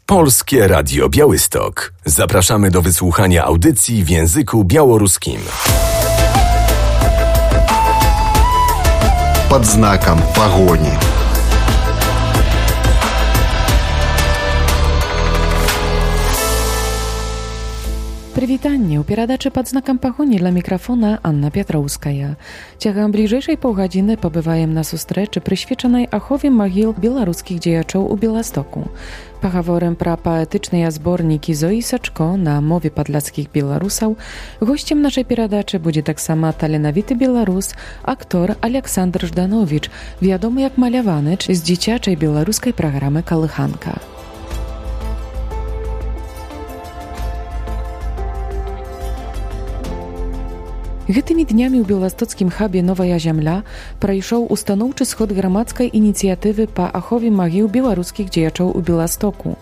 Polskie Radio Białystok. Zapraszamy do wysłuchania audycji w języku białoruskim. Под знаком погони. Прывітанне ў перадачы пад знакам пагоні для мікрафона Анна Пятроўская. Цягам бліжэйшай паўгадзіны пабываем на сустрэчы, прысвечанай ахове магіл беларускіх дзеячоў у Беластоку. Пагаворым пра паэтычныя зборнікі Зоі Сачко на мове падляцкіх беларусаў. Госцем нашай перадачы будзе таксама таленавіты беларус, актор Александр Ждановіч, вядомы як маляваныч з дзіцячай беларускай праграмы «Калыханка». Гэтымі днямі ў беластоцкім хабе «Новая зямля» прайшоў устаноўчы сход грамадскай ініцыятывы па ахове магіл беларускіх дзеячоў у Беластоку.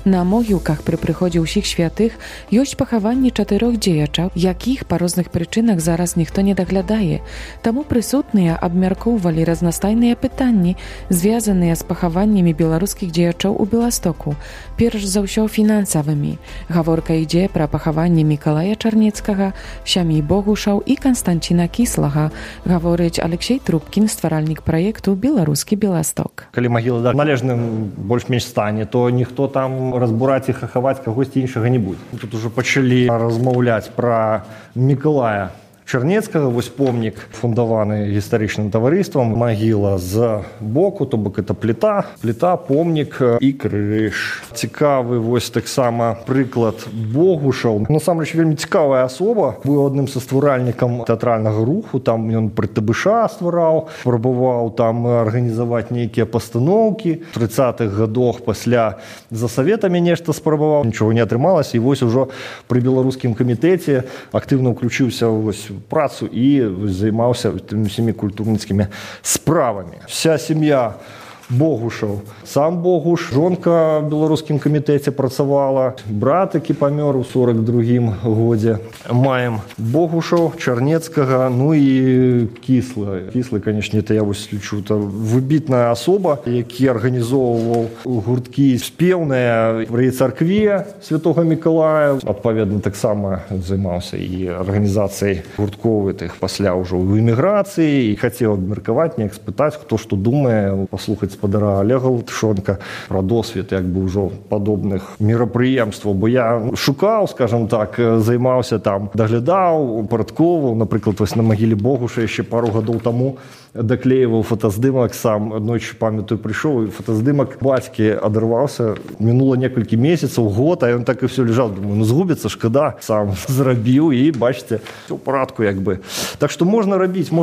На могілках пры прыходзе ўсіх святых ёсць пахаванні 4 дзеячаў, якіх па розных прычынах зараз ніхто не даглядае. Таму прысутныя абмяркоўвалі разнастайныя пытанні, звязаныя з пахаваннямі беларускіх дзеячоў у Беластоку, перш за ўсё фінансавымі. Гаворка ідзе пра пахаванні Мікалая Чарнецкага, сям'і Богушаў і Канстанціна Кіслага, гаворыць Алексей Трубкін, стваральнік праекту «Беларускі Беласток». Калі магіла ў належным больш-менш стане, то ніхто там разбураць і хахаваць кагосьці іншага не будзе. Тут ужо пачалі размаўляць пра Мікалая Чарнецкага, вось помнік фундаваны гістарычным таварыствам, магіла з боку, то бок это пліта, помнік і крыж. Цікавы вось таксама прыклад Богушаў. Насамрэч вельмі цікавая асоба, быў адным са стваральнікам тэатральнага руху, там ён пры ТБШ ствараў, спрабаваў там арганізаваць нейкія пастаноўкі. У 30-х гадах пасля за саветамі нешта спрабаваў, нічога не атрымалася, і вось ужо пры беларускім камітэце актыўна ўключыўся вось працу і займаўся тымі всімі культурніцкімі справамі. Вся сям'я Богушаў. Сам Богуш, жонка ў беларускім камітэце працавала, брат, які памёр у 42-м годзе. Маем Богушаў, Чарнецкага, ну і Кіслы. Кіслы, канечне, это я вось лічу, это выбітная асоба, які арганізоўваў гурткі спеўныя пры царкве Святога Мікалая. Адпаведна, таксама займаўся і арганізацыяй гурткоў гэтых пасля ўжо ў эміграцыі і хацеў абмеркаваць, неяк спытаць, хто што думае, паслухаць спадара Олега Латышонка пра досвед як бы ўжо падобных мерапрыемстваў, бо я шукаў, скажам так, займаўся там, даглядаў, упарадковаў, напрыклад, вось на магіле Богуша яшчэ пару гадоў таму даклеіваў фотаздымак сам. Аднойчы, памятаю, прыйшоў, і фотаздымак бацькі адрываўся. Мінула некалькі месяцаў, год, а ён так і все лежаў. Думаю, ну згубіцца, шкада, сам зрабіў, і бачыце, все ў парадку як бы. Так што можна рабіць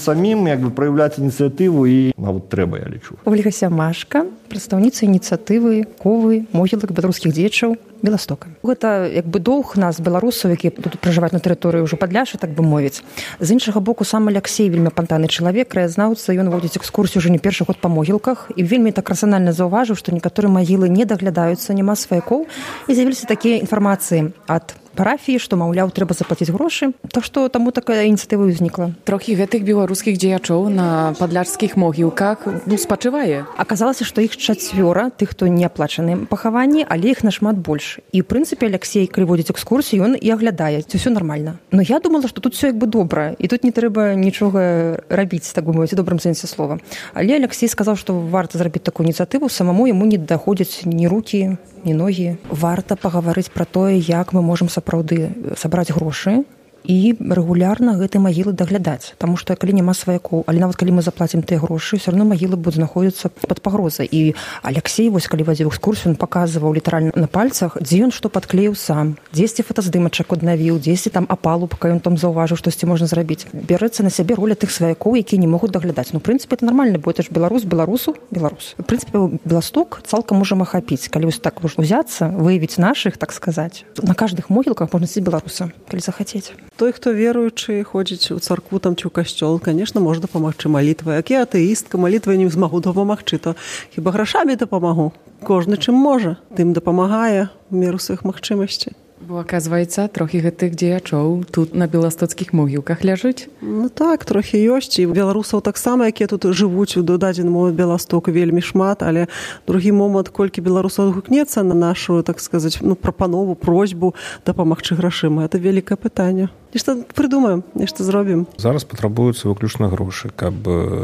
самім, як бы праяўляць ініцыятыву, і нават трэба, я лічу. Ольга Сямашка, прадстаўніца ініцыятывы «Ковы могілак беларускіх дзеячоў Беластока». Гэта як бы доўг нас, беларусаў, які тут пражываюць на тэрыторыі ўжо Падляшша, так бы мовіць. З іншага боку, сам Алексей вельмі апантаны чалавек, краязнаўца, ён водзіць экскурсію ўжо не першы год па могілках і вельмі так рацыянальна заўважыў, што некаторыя магілы не даглядаюцца, няма сваякоў, і з'явіліся такія інфармацыі ад парафіі, што, маўляў, трэба заплаціць грошы, то што таму такая ініцыятыва ўзнікла. Трохі гэтых беларускіх дзеячоў на падляшскіх могілках спачывае. Аказалася, што іх 4, тых, хто не аплачаны пахаванні, але іх нашмат больш. І, ў прынцыпе, Алексей, калі водзіць экскурсію, ён і аглядае, ці ўсё нармальна. Но я думала, што тут ўсё як бы добра, і тут не трэба нічога рабіць, так бы мовіць, у добрым сэнсе слова. Але Алексей сказаў, што варта зрабіць такую ініцыятыву, самому яму не даходзяць ні рукі, ні ногі. Варта пагаварыць пра тое, як мы можам сапраўды сабраць грошы і рэгулярна гэтай магілы даглядаць. Таму што калі няма сваякоў, але нават калі мы заплацім тыя грошы, ўсё роўно магілы будуць знаходзіцца пад пагрозай. І Алексей, вось калі вадзіў экскурсію, ён паказваў літаральна на пальцах, дзе ён што падклеіў сам, дзесьці фотаздымачак аднавіў, дзесьці там апалубка, ён там заўважыў, штосьці можна зрабіць. Бярэцца на сябе роля тых сваякоў, якія не могуць даглядаць. Ну, у прынцыпе, это нармальна, бо это ж беларус. У прынцыпе, Беласток цалкам можам ахапіць. Калі вось так узяцца, выявіць нашых, так сказаць, на каждых могілках можна сидзець беларуса, калі захацець. Той, хто веруючы, ходзіць у царкву там ці ў касцёл, конечно, можа дапамагчы малітвай. Як я атэістка, малітвай не змагу дапамагчы, то хіба грашамі дапамагу. Кожны чым можа, тым дапамагае в меру сваіх магчымасцей. Bo оказывается, трохи гэтых дзеячоў тут на беластоцкіх могілках ляжыць? Ну так, трохи ёсць. І беларусаў таксама, якія тут жывуць у дадзеному Беластоку, вельмі шмат, але другі момант, колькі беларусаў адгукнецца на нашу, так сказаць, прапанову, просьбу дапамагчы грашыма. Это вялікае пытанне. Нешта прыдумаем, нешта зробім. Зараз патрабуюцца выключна грошы, каб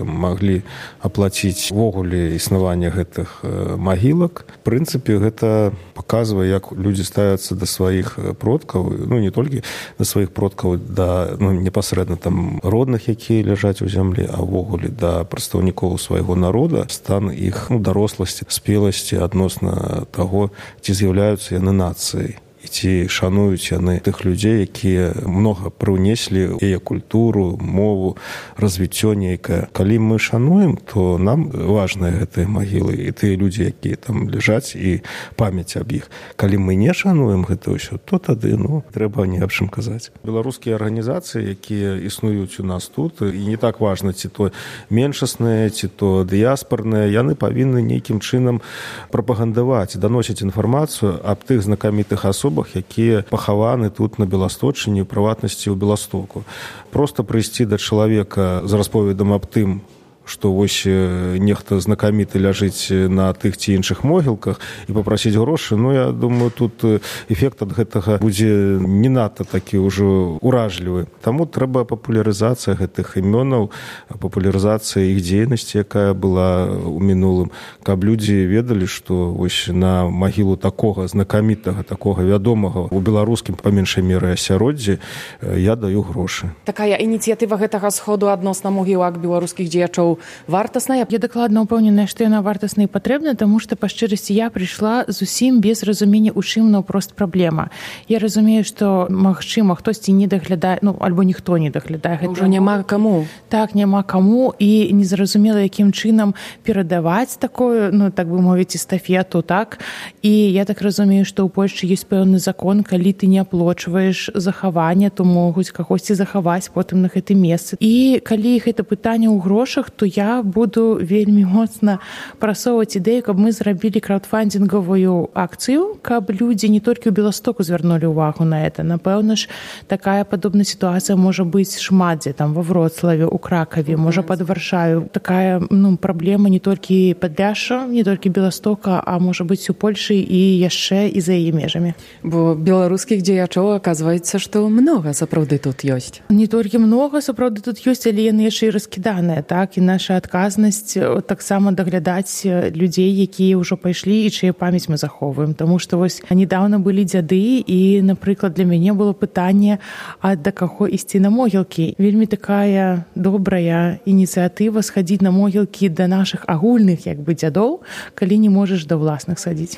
маглі аплаціць ввогуле існаванне гэтых магілак. В прынцыпе, гэта паказвае, як людзі ставяцца да сваіх продкаў, не толькі да сваіх продкаў, да непасрэдна там родных, якія ляжаць у зямлі, а ўвогуле да прадстаўнікоў свайго народа, стан іх даросласці, спеласці адносна таго, ці з'яўляюцца яны нацыяй. І ці шануюць яны тых людзей, якія многа прыўнеслі яе культуру, мову, развіццё нейкае. Калі мы шануем, то нам важныя гэтыя магілы і тыя людзі, якія там ляжаць, і памяць аб іх. Калі мы не шануем гэта ўсё, то тады трэба не аб чым казаць. Беларускія арганізацыі, якія існуюць у нас тут, і не так важна, ці то меншасныя, ці то дыяспарныя, яны павінны нейкім чынам прапагандаваць, даносіць інфармацыю аб тых знакамітых асобах, якія пахаваны тут на Беласточыне, у прыватнасці ў Беластоку. Проста прыйсці да чалавека з расповедам аб тым, што вось нехта знакаміты ляжыць на тых ці іншых могілках і папрасіць грошы, я думаю, тут эфект ад гэтага будзе не надта такі ўжо уражлівы. Таму трэба папулярызацыя гэтых імёнаў, папулярызацыя іх дзейнасці, якая была ў мінулым, каб людзі ведалі, што вось на магілу такога знакамітага, такога вядомага у беларускім, па меншай меры, асяроддзі я даю грошы. Такая ініцыятыва гэтага сходу адносна могілак беларускіх дзеячоў вартасная? Я дакладна ўпэўненая, што яна вартасна і патрэбна, таму што, па шчырасці, я прыйшла зусім без разумення, у чым наўпрост праблема. Я разумею, што, магчыма, хтосьці не даглядае, альбо ніхто не даглядае. Ўжо няма каму. Так, няма каму, і незразумела, якім чынам перадаваць такую, так бы мовіць, эстафету, так? І я так разумею, што ў Польшчы ёсць пэўны закон, калі ты не аплочваеш захаванне, то могуць кагосьці захаваць потым на гэтым месцы. І калі гэта пытанне ў грошах, то я буду вельмі моцна прасоўваць ідэю, каб мы зрабілі краудфандингавую акцыю, каб людзі не толькі ў Беластоку звярнулі ўвагу на это. Напэўна ж, такая падобная сітуацыя можа быць шмат дзе, там, ва Вроцлаве, у Кракаве, можа пад Варшавай. Такая, праблема не толькі Падляшша, не толькі Беластока, а можа быць у Польшы і яшчэ і за яе межамі. Бо беларускіх дзеячоў, аказваецца, што многа сапраўды тут ёсць. Не толькі многа сапраўды тут ёсць, але яны яшчэ і раскіданыя, так? І наша адказнасць таксама даглядаць людзей, якія ўжо пайшлі і чые памяць мы захоўваем. Таму што вось нядаўна былі дзяды і, напрыклад, для мяне было пытанне, а да каго ісці на могілкі. Вельмі такая добрая ініцыятыва схадзіць на могілкі да нашых агульных дзядоў, калі не можаш да ўласных садзіць.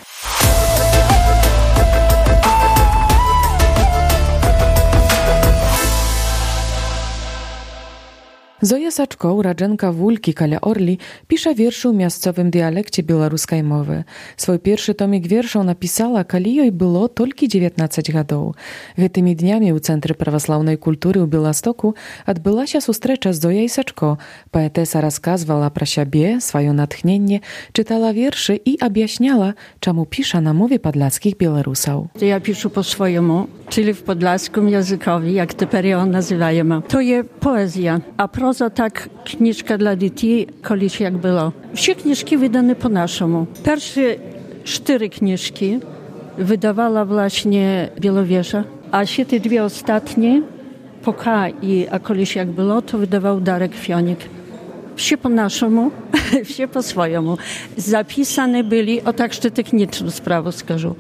Zoja Saczko, uradzenka Wólki kala Orli, pisze wierszy w miejscowym dialekcie białoruskiej mowy. Swój pierwszy tomik wierszów napisała, kali jej było tylko 19 lat. Tymi dniami u Centrum Prawosławnej Kultury u Białostoku odbyła się sustrecza z Zojej Saczko. Poetesa rozkazywała pro siebie, swoje natchnienie, czytała wierszy i objaśniała, czemu pisze na mowie podlaskich Białorusów. Ja piszę po swojemu, czyli w podlaskim językowi, jak teraz ją nazywamy. To jest poezja, a proza tak kniżka dla dzieci, kiedyś jak było. Wszystkie kniżki wydane po naszemu. Pierwsze 4 kniżki wydawała właśnie Białowieża, a się te 2 ostatnie, po K i a kiedyś jak było, to wydawał Darek Fionik. Wsie po naszemu, wsie po swojemu. Zapisane byli, o tak jeszcze techniczną sprawę skażę.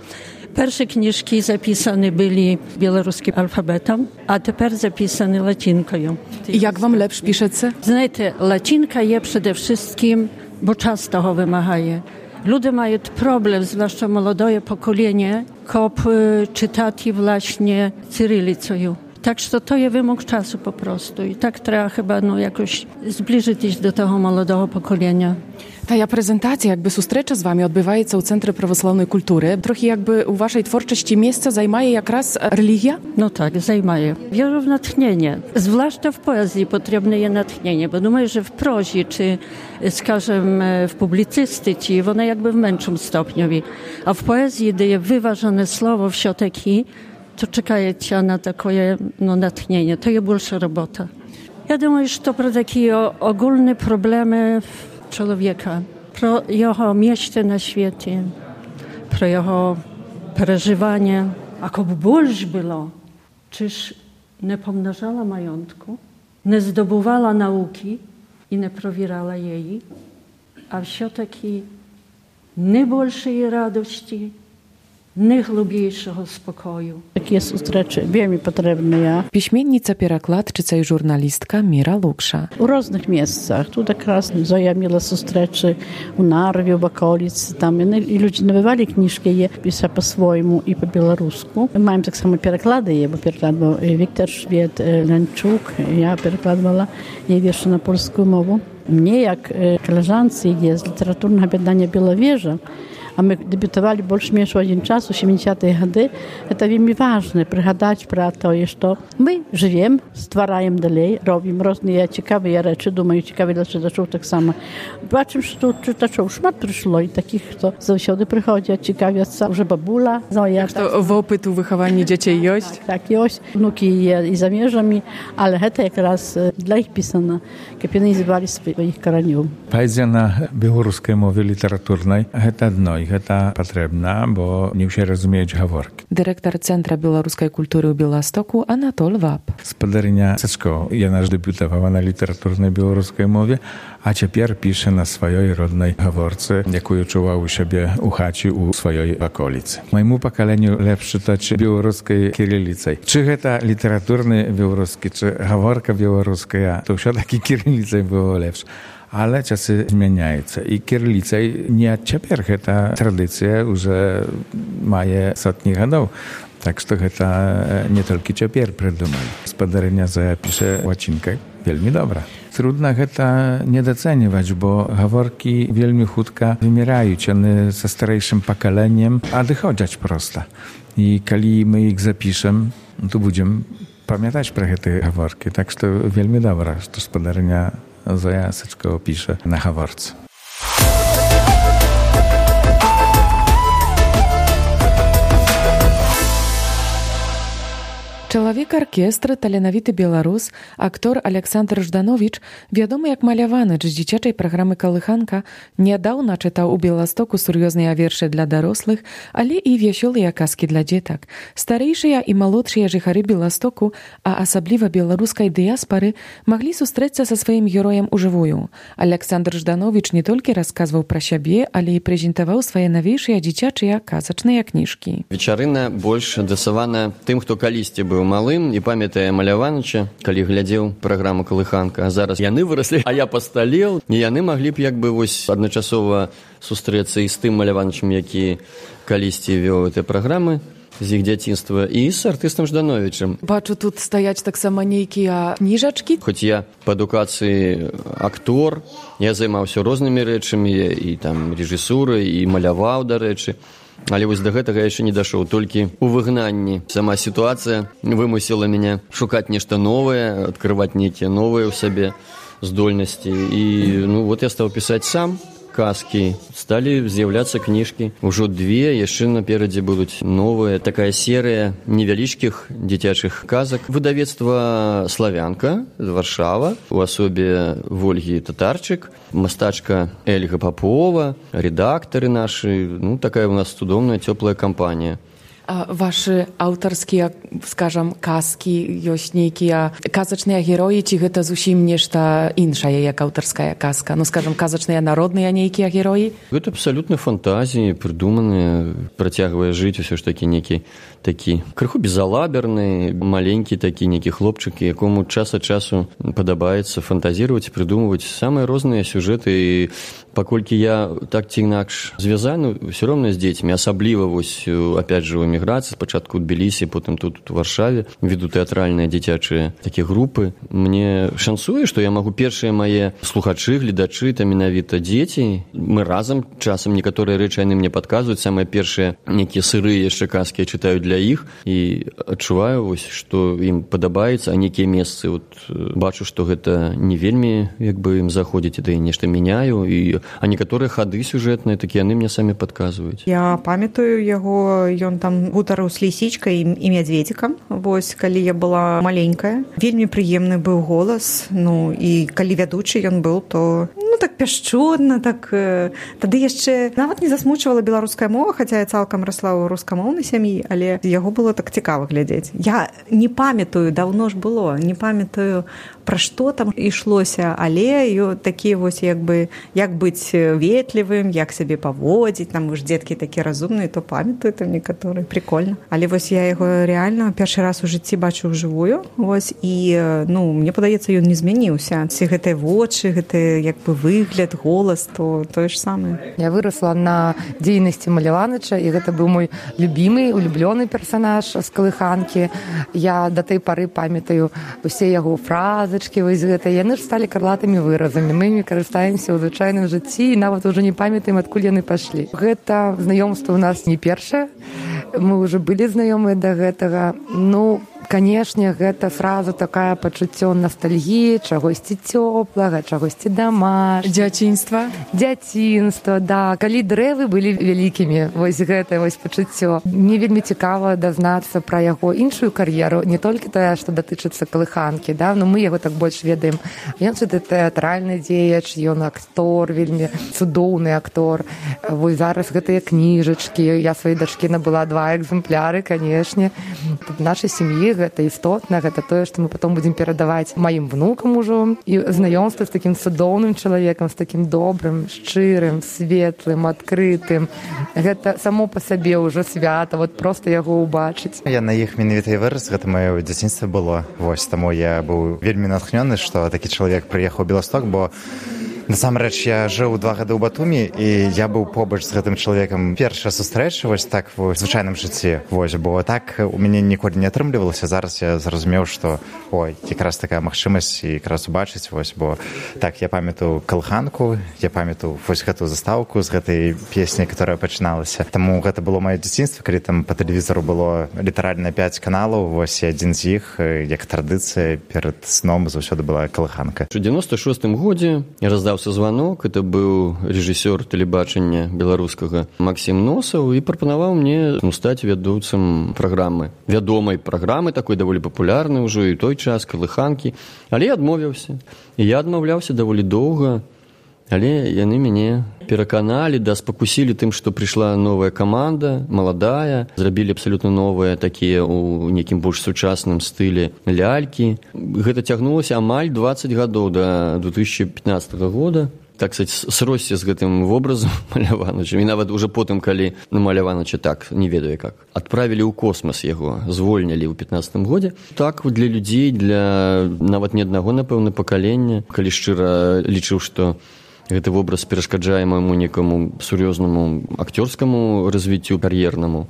Pierwsze kniżki zapisane byli białoruskim alfabetem, a teraz zapisane łacinką. I jak wam lepszy piszecie? Знаєте, łacinka jest przede wszystkim, bo czas toho wymagaje. Ludzie mają problem, zwłaszcza młode pokolenie, kop czytać właśnie cyrylicą. Tak, że to jest wymóg czasu po prostu. I tak trzeba chyba jakoś zbliżyć się do tego młodego pokolenia. Ta prezentacja, jakby sustrecza z wami odbywa się w Centrum Prawosławnej Kultury. Trochę jakby u waszej twórczości miejsca zajmuje jak raz religia? No tak, zajmuje. Wierzę w natchnienie. Zwłaszcza w poezji potrzebne jest natchnienie, bo думаю, że w prozie, czy skażem w publicystyce, one jakby w mniejszym stopniu. A w poezji, gdy jest wyważone słowo w siateki, то чекає тебя на такое натхнение. То є більша робота. Я думаю, що про такі ogólne проблеми чоловіка, про його мечти на світі, про його переживання. А коби більше було, чи ж не помножала majątku, не здобувала науки і не провірала її, а все-таки не більшої радості, не глибшого спокою. Takie zустрічі вельми потрібні. Piśmiennica, перакладчыца i żurnalistka Mira Luksza. У різних місцях. Тут якраз Зоя міла зустрічі у Нарві, в околиці. Там і люди набивали книжки, є писали по-своєму і по-білоруську. Ми маємо так само переклади, є, бо перекладав Віктор Швед, Лянчук. Я перекладувала її вірші на польську мову. Мені, як колежанці, є з літературного об'єднання «Біловежа», а ми дебютували більш-менш в один час, у 70-ті роки. Це вельми важливо пригадати про те, що ми живемо, створюємо далі, робимо різні цікаві речі, думаю, цікаві для читачів так само. Бачимо, що тут читачів шмат прийшло, і таких, хто завжди приходять, цікавляться. Вже бабуля, Зоя. Що опит у вихованні дітей є? Так, є. Внуки є і за межами, але це якраз для їх писано, щоб вони називали своїх коренів. Поезія на білоруській мові літературній – це одно. Гэта патрэбна, бо не ўсе разумеюць гаворкі. Дырэктар Цэнтра беларускай культуры ў Беластоку Анатоль Вап. Спадарыня Сачко, яна ж дэбютавала на літаратурнай беларускай мове, а цяпер піша на сваёй роднай гаворцы, якую чуваў у сябе ў хаце ў сваёй ваколіцы. Майму пакаленню лепш чытаць беларускай кірыліцай. Чы гэта літаратурны беларускі, чы гаворка беларуская, то ўсё-такі кірыліцай было лепш. Ale czasy zmieniają. I kierlica nie cieper, ta tradycja już ma setni lat. Tak, że to nie tylko cieper prydumali. Spadarynia zapisze łacinkę. Wielmi dobra. Trudno to nie doceniać, bo gaworki wielmi chudka wymierają. One ze starszym pokoleniem, a dochodzić prosto. I kiedy my ich zapiszemy, to będziemy pamiętać про te gaworki. Tak, że to wielmi dobra, że spadarynia Zoja Syczko pisze na gaworce. Чалавек-аркестр, таленавіты беларус, актор Александр Жданович, вядомы як маляваныч з дзіцячай праграмы «Калыханка», нядаўна чытаў у Беластоку сур'ёзныя вершы для дарослых, але і вясёлыя казкі для дзетак. Старэйшыя і малодшыя жыхары Беластоку, а асабліва беларускай дыяспары, маглі сустрэцца са сваім героем ужывую. Александр Жданович не толькі расказваў пра сябе, але і прэзентаваў свае навейшыя дзіцячыя казачныя кніжкі. Вечарына больш адасавана тым, хто калісьці быў малым і памятае Маляваныча, калі глядзеў праграму «Калыханка». А зараз яны выраслі, а я пасталеў. І яны маглі б як бы вось адначасова сустрэцца і з тым Маляванычам, які калісьці вёў гэтыя праграмы з іх дзяцінства, і з артыстам Ждановічам. Бачу, тут стаяць таксама нейкія кніжачкі. Хоць я па адукацыі актор, я займаўся рознымі рэчамі, і там рэжысурай, і маляваў, дарэчы. Але вось да гэтага я яшчэ не дашоў. Толькі ў выгнанні сама сітуацыя вымусіла мяне шукаць нешта новае, адкрываць нейкія новыя ў сабе здольнасці. І вот я стаў пісаць сам казкі. Сталі з'яўляцца кніжкі. Ужо 2, яшчэ наперадзе будуць новыя. Такая серыя невялічкіх дзіцячых казак. Выдавецтва «Славянка» з Варшава, у асобе Вольгі Татарчык, мастачка Эльга Попова, редактары нашы. Такая у нас цудоўная, цёплая кампанія. А ваши аўтарскія, скажам, казкі, ёсць нейкія казачныя героі, ці гэта зусім нешта іншае, як аўтарская казка? Скажам, казачныя народныя нейкія героі? Гэта абсалютна фантазіі, прыдуманыя, працягвае жыць усё ж такі нейкі такі крыху безалаберны, маленькі такі нейкі хлопчык, якому час ад часу падабаецца фантазіраваць, прыдумваць самыя розныя сюжэты. І паколькі я так ці інакш звязаны ўсё роўна з дзецьмі, асабліва вось, опять же, у эміграцыі, спачатку ў Тбілісі, потым тут у Варшаве, веду тэатральныя дзіцячыя такія групы. Мне шансуе, што я магу першыя мае слухачы, гледачы, там менавіта дзеці. Мы разам часам некаторыя рэчы яны мне падказваюць, самыя першыя нейкія сырыя яшчэ казкі я чытаю для іх і адчуваю вось, што ім падабаецца, а нейкія месцы бачу, што гэта не вельмі як бы ім заходзіць, і нешта мяняю, а некаторыя хады сюжэтныя, такі яны мне самі падказваюць. Я памятаю яго, ён там ён гутарыў з лісічкай і мядзведзікам. Вось, калі я была маленькая. Вельмі прыемны быў голас, ну, і калі вядучы ён быў, то, ну, так пяшчотна, так... Тады яшчэ нават не засмучвала беларуская мова, хаця я цалкам расла ў рускамоўнай сям'і, але яго было так цікава глядзець. Я не памятаю, даўно ж было, не памятаю, пра што там ішлося, але такі вось як быць ветлівым, як сябе паводзіць, там уж дзеткі такія разумныя, то памятаю там некаторыя, прикольна. Але вось я яго реально першы раз у жыцці бачу ўжывую, вось, і, ну, мне падаецца, ён не змяніўся. Ці гэтыя вочы, гэты як бы выгляд, голас, то тое ж самае. Я вырасла на дзейнасці Маляваныча, і гэта быў мой любімы, улюблёны персанаж з калыханкі. Я да той пары памятаю усе яго фразачкі, вось гэта. Яны ж сталі карлатымі выразамі. Мы імі карыстаемся ў звычайным жыцці і нават ужо не памятаем, адкуль яны пайшлі. Гэта знаёмства ў нас не першае. Мы ўжо былі знаёмыя да гэтага. Ну, канешне, гэта сразу такая пачуццё ностальгіі, чагосьці цёплага, чагосьці домашняга. Дзяцінства, да. Калі дрэвы былі вялікімі, вось гэта вось пачуццё. Мне вельмі цікава дазнацца пра яго іншую кар'еру, не толькі тая, што датычыцца калыханкі, да, но мы яго так больш ведаем. Ён же тэатральны дзеяч, ён актор, вельмі цудоўны актор. Вось зараз гэтыя кніжачкі, я сваёй дачкі набыла 2 экземпляры, канешне. В нашай сям'і гэта істотна, гэта тое, што мы потом будзем перадаваць маім внукам ужо. І знаёмства з такім цудоўным чалавекам, з такім добрым, шчырым, светлым, адкрытым. Гэта само па сабе ўжо свята, вот проста яго ўбачыць. Я на іх менавіта і вырас, гэта маё дзяцінства было. Вось, таму я быў вельмі натхнёны, што такі чалавек прыехаў у Беласток, бо насамрэч, я жыў 2 гады ў Батумі, і я быў побач з гэтым чалавекам. Першая сустрэча вось так в звычайным жыцці, вось, бо так у мяне ніколі не атрымлівалася. Зараз я зразумеў, што ой, якраз такая магчымасць і якраз убачыць, вось, бо так я памятаю калыханку, я памятаю вось гэтую застаўку з гэтай песняй, которая пачыналася. Таму гэта было маё дзяцінства, калі там па тэлевізору было літаральна 5 каналаў, вось, і адзін з іх, як традыцыя, перад сном заўсёды была калыханка. У 96-м годзе я раздаўся званок, это быў рэжысёр тэлебачання беларускага Максім Носаў і прапанаваў мне стаць вядучым праграмы. Вядомай праграмы, такой даволі папулярнай ужо і той час, калыханкі. Але я адмовіўся. І я адмаўляўся даволі доўга, але яны мяне пераканалі, да, спакусілі тым, што прыйшла новая каманда, маладая, зрабілі абсалютна новыя такія ў нейкім больш сучасным стылі лялькі. Гэта цягнулася амаль 20 гадоў да 2015 года. Так сказать, сросся з гэтым вобразам Маляваныча. І нават уже потым, калі на Маляваныча так, не ведаю как, адправілі ў космас яго, звольнялі ў 15 годзе. Так для людзей, для нават не аднаго, напэўна, пакалення, калі шчыра лічыў, што гэты вобраз перашкаджае майму некаму сур'ёзнаму акцёрскаму развіццю кар'ернаму.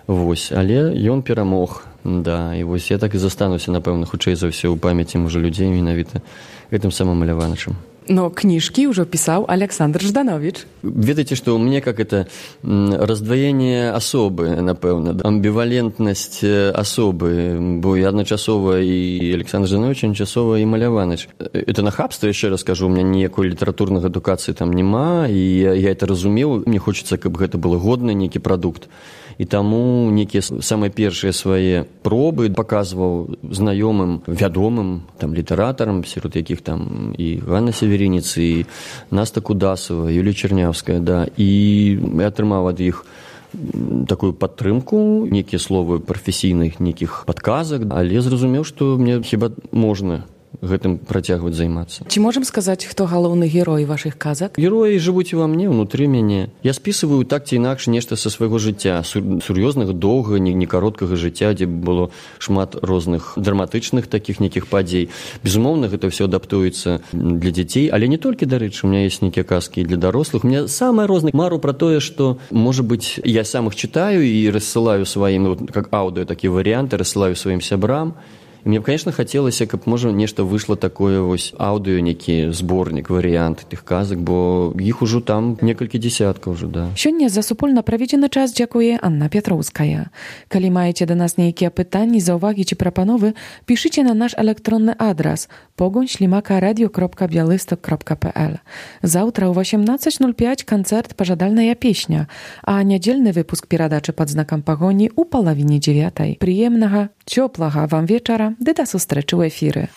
Вось, але ён перамог. Да, і вось я так і застануся, напэўна, хутчэй за ўсё ў памяці можа людзей менавіта гэтым самым Маляванычам. Но книжки уже писал Александр Жданович. Ведаеце, што ў мяне как это раздваенне асобы, напэўна, амбівалентнасць асобы, бо я адначасова і Александр Жданович, адначасова і Маляваныч. Это нахабства, яшчэ раз кажу, у меня ніякой літаратурнай адукацыі там няма, і я это разумеў, мне хочацца, каб гэта было годны нейкі прадукт. І таму некія самыя першыя свае пробы паказваў знаёмым, вядомым там літаратарам, сярод якіх там і Ганна Северінец, і Наста Кудасова, Юлія Чернявская, да, і я атрымаў ад іх такую падтрымку, некія словы прафесійных нейкіх падказак, але зразумеў, што мне хіба можна гэтым працягваць займацца. Ці можам сказаць, хто галоўны герой вашых казак? Героі жывуць ува мне, унутры мяне. Я спісываю так ці інакш нешта са свайго жыцця, сур'ёзнага, доўга, не кароткага жыцця, дзе было шмат розных драматычных такіх нейкіх падзей. Безумоўна, гэта ўсё адаптуецца для дзяцей, але не толькі, дарэчы, у меня ёсць нейкія казкі для дарослых. У меня самае рознае. Мару пра тое, што, можа быць, я сам іх чытаю і рассылаю сваім, как аўдыо такія варыянты, рассылаю сваім сябрам. І мне б, конечно, хацелася, каб можа нешта выйшло такое вось аўдыё, некі зборнік, варыянт тых казак, бо іх ужо там некалькі дзесяткаў ўжо, да. Сёння за супольна праведзены час дзякуе Анна Пятроўская. Калі маеце да нас нейкія пытанні, заўвагі ці прапановы, пішыце на наш электронны адрас pogoń@radio.bialystok.pl. Заўтра ў 18:05 канцэрт «Пажадальная песня», а нядзельны выпуск перадачы «Пад знакам пагоні» у палавіне 9. Прыемнага, цёплага вам вечара, ды да сустрэчы ў эфіры.